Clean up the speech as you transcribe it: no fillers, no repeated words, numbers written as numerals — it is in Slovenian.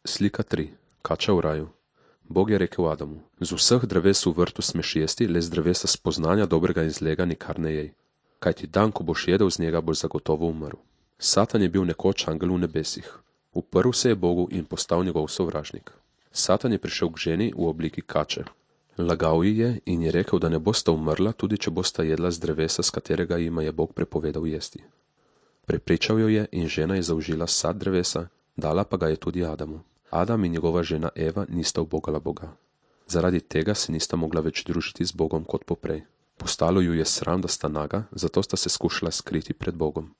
Slika 3. Kača v raju. Bog je rekel Adamu: z vseh dreves v vrtu smeš jesti, le z drevesa spoznanja dobrega in zlega nikar ne jej. Kajti dan, ko boš jedel z njega, boš zagotovo umrl. Satan je bil nekoč angel v nebesih. Uprl se je Bogu in postal njegov sovražnik. Satan je prišel k ženi v obliki kače. Lagal ji je in je rekel, da ne bosta umrla, tudi če bosta jedla z drevesa, s katerega jima je Bog prepovedal jesti. Prepričal jo je in žena je zaužila sad drevesa, dala pa ga je tudi Adamu. Adam in njegova žena Eva nista ubogala Boga. Zaradi tega se nista mogla več družiti z Bogom kot poprej. Postalo ju je sram, da sta naga, zato sta se skušala skriti pred Bogom.